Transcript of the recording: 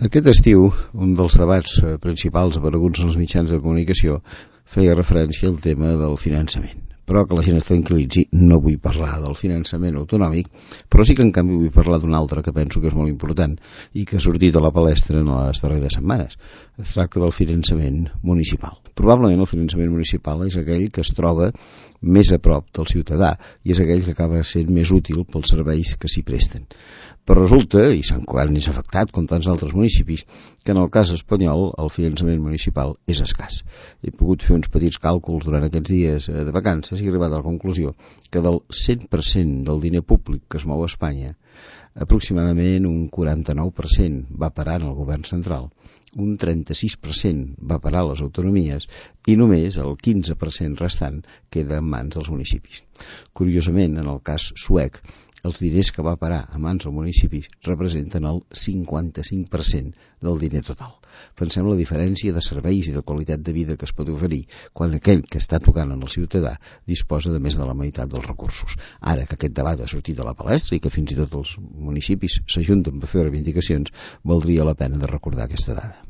Aquest estiu, un dels debats principals apareguts en els mitjans de comunicació feia referència al tema del finançament. Però que la gent es tranquil·litzi, no vull parlar del finançament autonòmic, però sí que en canvi vull parlar d'un altre que penso que és molt important i que ha sortit a la palestra en les darreres setmanes. Es tracta del finançament municipal. Probablement el finançament municipal és aquell que es troba més a prop del ciutadà i és aquell que acaba sent més útil pels serveis que s'hi presten. Però resulta, i Sant Cugat n'és afectat com tants altres municipis, que en el cas espanyol el finançament municipal és escàs. He pogut fer uns petits càlculs durant aquests dies de vacances i he arribat a la conclusió que del 100% del diner públic que es mou a Espanya, aproximadament un 49% va parar en el govern central, un 36% va parar a les autonomies i només el 15% restant queda en mans dels municipis. Curiosament, en el cas suec, els diners que va parar a mans dels municipis representen el 55% del diner total. Pensem la diferència de serveis i de qualitat de vida que es pot oferir quan aquell que està tocant en el ciutadà disposa de més de la meitat dels recursos. Ara que aquest debat ha sortit a la palestra i que fins i tot els municipis s'ajunten per fer reivindicacions, valdria la pena de recordar aquesta dada.